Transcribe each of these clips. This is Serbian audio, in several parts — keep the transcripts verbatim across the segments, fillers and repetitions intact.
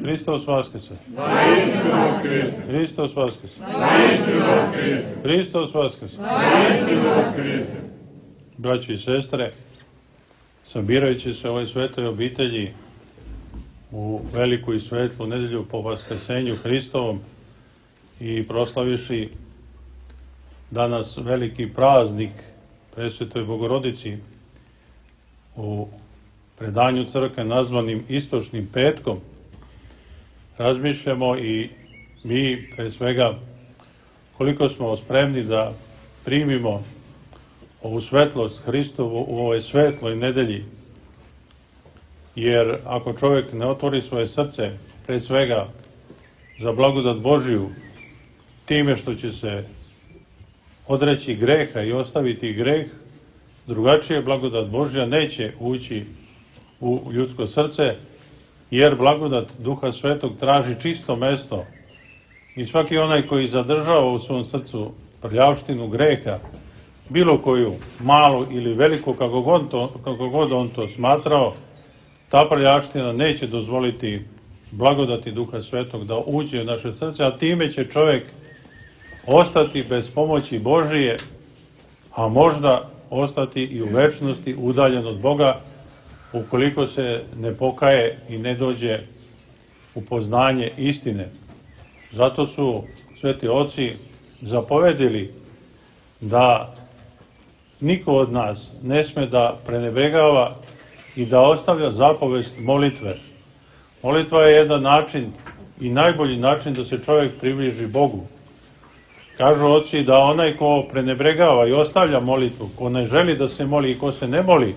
Hristos Vaskrse! Naistinu Hriste! Hristos Vaskrse! Naistinu Hriste! Hristos Vaskrse! Naistinu Hriste! Braći i sestre, sabirajući se u ovoj svetoj obitelji u veliku i svetlu nedelju po Vaskrsenju Hristovom i proslaviši danas veliki praznik Presvetoj Bogorodici u predanju crkve nazvanim Istočnim petkom, razmišljamo i mi pre svega koliko smo spremni da primimo ovu svetlost Hristovu u ovoj svetloj nedelji, jer ako čovjek ne otvori svoje srce pre svega za blagodat Božiju time što će se odreći greha i ostaviti greh, drugačije blagodat Božja neće ući u ljudsko srce, jer blagodat Duha Svetog traži čisto mesto i svaki onaj koji zadržava u svom srcu prljavštinu greha, bilo koju, malu ili veliku, kako god, to, kako god on to smatrao, ta prljavština neće dozvoliti blagodati Duha Svetog da uđe u naše srce, a time će čovjek ostati bez pomoći Božije, a možda ostati i u večnosti udaljen od Boga, ukoliko se ne pokaje i ne dođe u poznanje istine. Zato su sveti oci zapovedili da niko od nas ne sme da prenebregava i da ostavlja zapovest molitve. Molitva je jedan način i najbolji način da se čovjek približi Bogu. Kažu oci da onaj ko prenebregava i ostavlja molitvu, ko ne želi da se moli i ko se ne moli,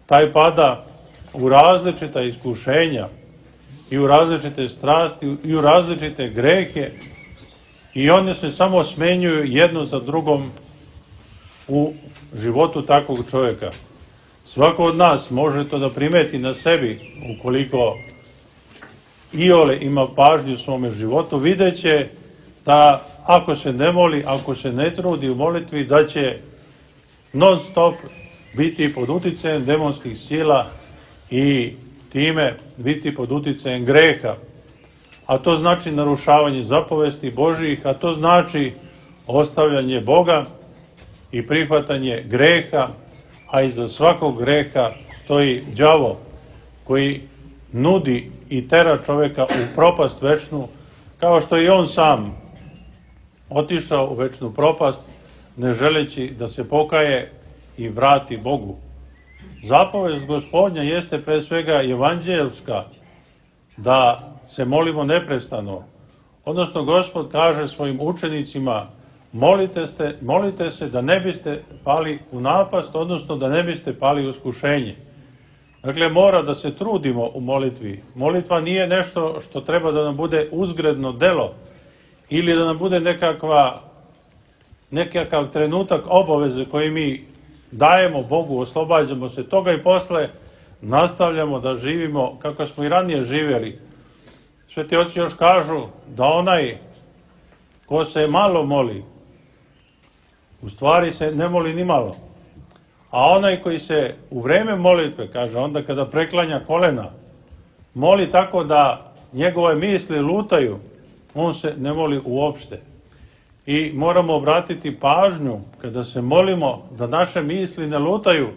taj pada u različita iskušenja i u različite strasti i u različite grehe i one se samo smenjuju jedno za drugom u životu takvog čovjeka. Svako od nas može to da primeti na sebi, ukoliko iole ima pažnju u svome životu, videće da ako se ne moli, ako se ne trudi u molitvi, da će non stop biti pod uticajem demonskih sila i time biti pod uticajem greha. A to znači narušavanje zapovesti Božijih, a to znači ostavljanje Boga i prihvatanje greha, a iza svakog greha stoji đavo koji nudi i tera čovjeka u propast večnu, kao što i on sam otišao u večnu propast, ne želeći da se pokaje i vrati Bogu. Zapovest Gospodnja jeste pre svega evanđelska, da se molimo neprestano. Odnosno, Gospod kaže svojim učenicima, molite, ste, molite se da ne biste pali u napast, odnosno da ne biste pali u iskušenje. Dakle, mora da se trudimo u molitvi. Molitva nije nešto što treba da nam bude uzgredno delo ili da nam bude nekakva, nekakav trenutak obaveze koji mi dajemo Bogu, oslobađamo se toga i posle nastavljamo da živimo kako smo i ranije živjeli. Sveti oci još kažu da onaj ko se malo moli, u stvari se ne moli ni malo. A onaj koji se u vreme molitve, kaže, onda kada preklanja kolena, moli tako da njegove misli lutaju, on se ne moli uopšte. I moramo obratiti pažnju kada se molimo da naše misli ne lutaju,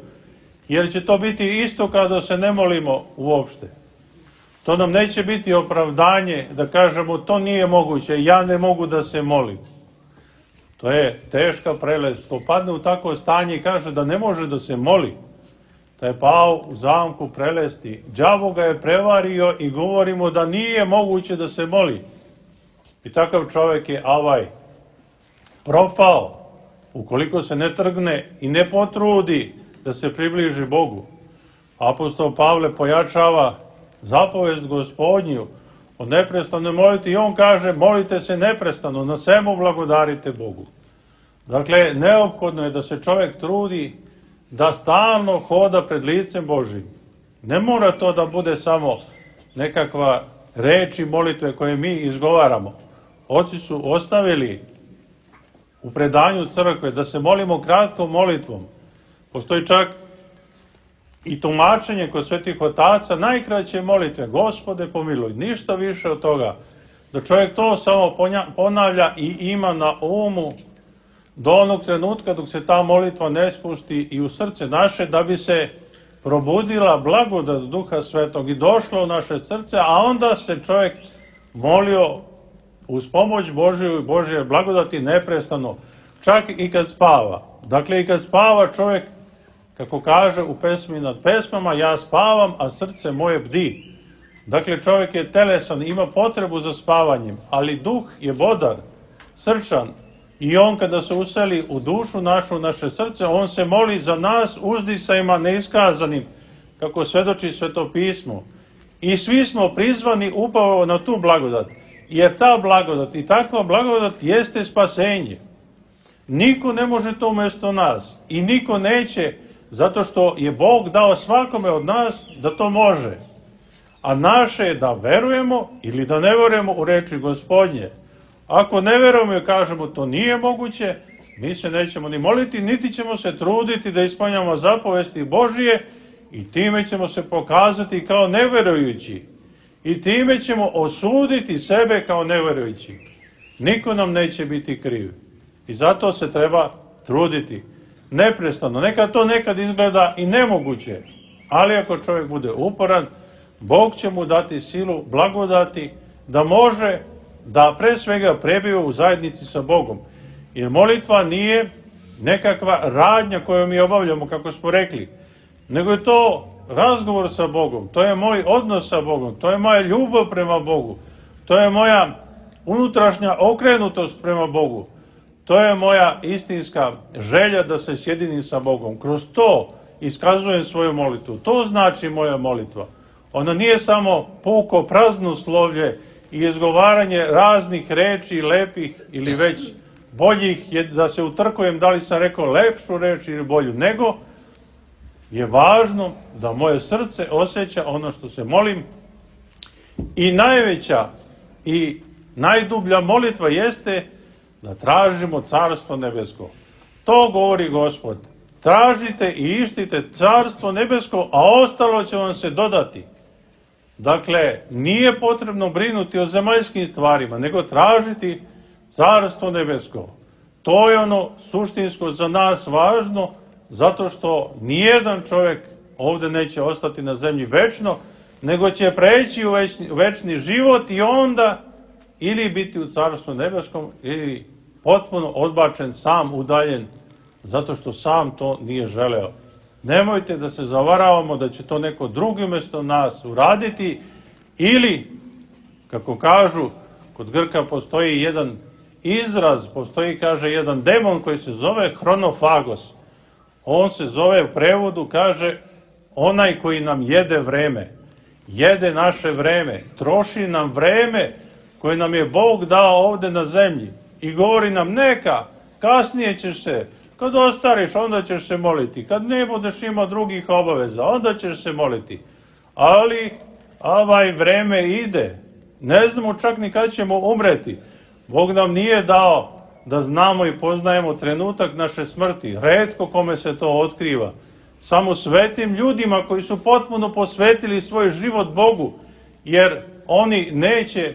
jer će to biti isto kada se ne molimo uopšte. To nam neće biti opravdanje da kažemo to nije moguće, ja ne mogu da se molim. To je teška prelest. Ko padne u takvo stanje i kaže da ne može da se moli, da je pao u zamku prelesti. Đavo ga je prevario i govorimo da nije moguće da se moli. I takav čovjek je avaj propao, ukoliko se ne trgne i ne potrudi da se približi Bogu. Apostol Pavle pojačava zapovest Gospodnju o neprestanoj molitvi i on kaže molite se neprestano, na svemu blagodarite Bogu. Dakle, neophodno je da se čovjek trudi da stalno hoda pred licem Božim. Ne mora to da bude samo nekakva reči molitve koje mi izgovaramo. Oci su ostavili u predanju crkve da se molimo kratkom molitvom. Postoji čak i tumačenje kod svetih otaca, najkraće molitve, Gospode pomiluj, ništa više od toga. Da čovjek to samo ponavlja i ima na umu do onog trenutka dok se ta molitva ne spusti i u srce naše, da bi se probudila blagodat Duha Svetog i došla u naše srce, a onda se čovjek molio uz pomoć Božju i Božje blagodati neprestano, čak i kad spava. Dakle, i kad spava čovjek, kako kaže u pesmi nad pesmama, ja spavam, a srce moje bdi. Dakle, čovjek je telesan, ima potrebu za spavanjem, ali duh je bodar, srčan, i on kada se useli u dušu našu, u naše srce, on se moli za nas uzdisajima neiskazanim, kako svedoči Sveto pismo. I svi smo prizvani upravo na tu blagodat, jer ta blagodat i takva blagodat jeste spasenje. Niko ne može to umjesto nas i niko neće, zato što je Bog dao svakome od nas da to može. A naše je da verujemo ili da ne verujemo u reči Gospodnje. Ako ne verujemo i kažemo to nije moguće, mi se nećemo ni moliti, niti ćemo se truditi da ispunjamo zapovesti Božije i time ćemo se pokazati kao neverujući. I time ćemo osuditi sebe kao neverujući. Niko nam neće biti kriv. I zato se treba truditi. Neprestano. Nekad to nekad izgleda i nemoguće. Ali ako čovjek bude uporan, Bog će mu dati silu, blagodati, da može da pre svega prebije u zajednici sa Bogom. Jer molitva nije nekakva radnja koju mi obavljamo, kako smo rekli, nego je to razgovor sa Bogom, to je moj odnos sa Bogom, to je moja ljubav prema Bogu, to je moja unutrašnja okrenutost prema Bogu, to je moja istinska želja da se sjedinim sa Bogom. Kroz to iskazujem svoju molitvu. To znači moja molitva. Ona nije samo puko praznoslovlje i izgovaranje raznih reči, lepih ili već boljih, je da se utrkujem da li sam rekao lepšu reč ili bolju, nego je važno da moje srce osjeća ono što se molim. I najveća i najdublja molitva jeste da tražimo Carstvo nebesko. To govori Gospod. Tražite i ištite Carstvo nebesko, a ostalo će vam se dodati. Dakle, nije potrebno brinuti o zemaljskim stvarima, nego tražiti Carstvo nebesko. To je ono suštinsko za nas važno, zato što nijedan čovjek ovdje neće ostati na zemlji večno, nego će preći u večni, večni život i onda ili biti u Carstvu nebeskom ili potpuno odbačen, sam udaljen, zato što sam to nije želeo. Nemojte da se zavaravamo da će to neko drugi umjesto nas uraditi, ili, kako kažu, kod Grka postoji jedan izraz, postoji, kaže, jedan demon koji se zove hronofagos. On se zove u prevodu, kaže, onaj koji nam jede vreme, jede naše vreme, troši nam vreme koje nam je Bog dao ovdje na zemlji i govori nam neka, kasnije ćeš se, kad ostariš, onda ćeš se moliti, kad ne budeš imao drugih obaveza, onda ćeš se moliti. Ali ovaj vreme ide, ne znamo čak ni kad ćemo umreti. Bog nam nije dao da znamo i poznajemo trenutak naše smrti. Retko kome se to otkriva. Samo svetim ljudima koji su potpuno posvetili svoj život Bogu, jer oni neće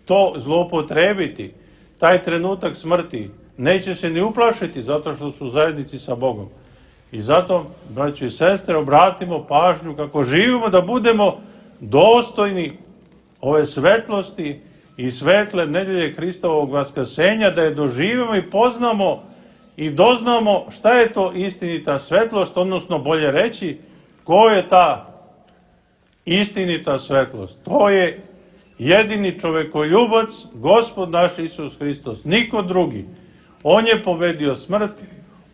to zloupotrebiti, taj trenutak smrti. Neće se ni uplašiti zato što su u zajednici sa Bogom. I zato, braćo i sestre, obratimo pažnju kako živimo, da budemo dostojni ove svetlosti i svetle nedelje Hristovog vaskrsenja, da je doživimo i poznamo i doznamo šta je to istinita svetlost, odnosno bolje reći, ko je ta istinita svetlost. To je jedini čovekoljubac, Gospod naš Isus Hristos, niko drugi. On je pobedio smrt,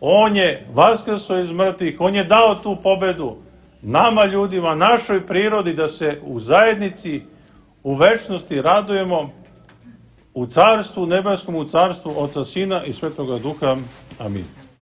on je vaskrso iz mrtvih, on je dao tu pobedu nama ljudima, našoj prirodi, da se u zajednici, u večnosti radujemo u carstvu nebeskom, u carstvu Oca, Sina i Svetoga Duha. Amin.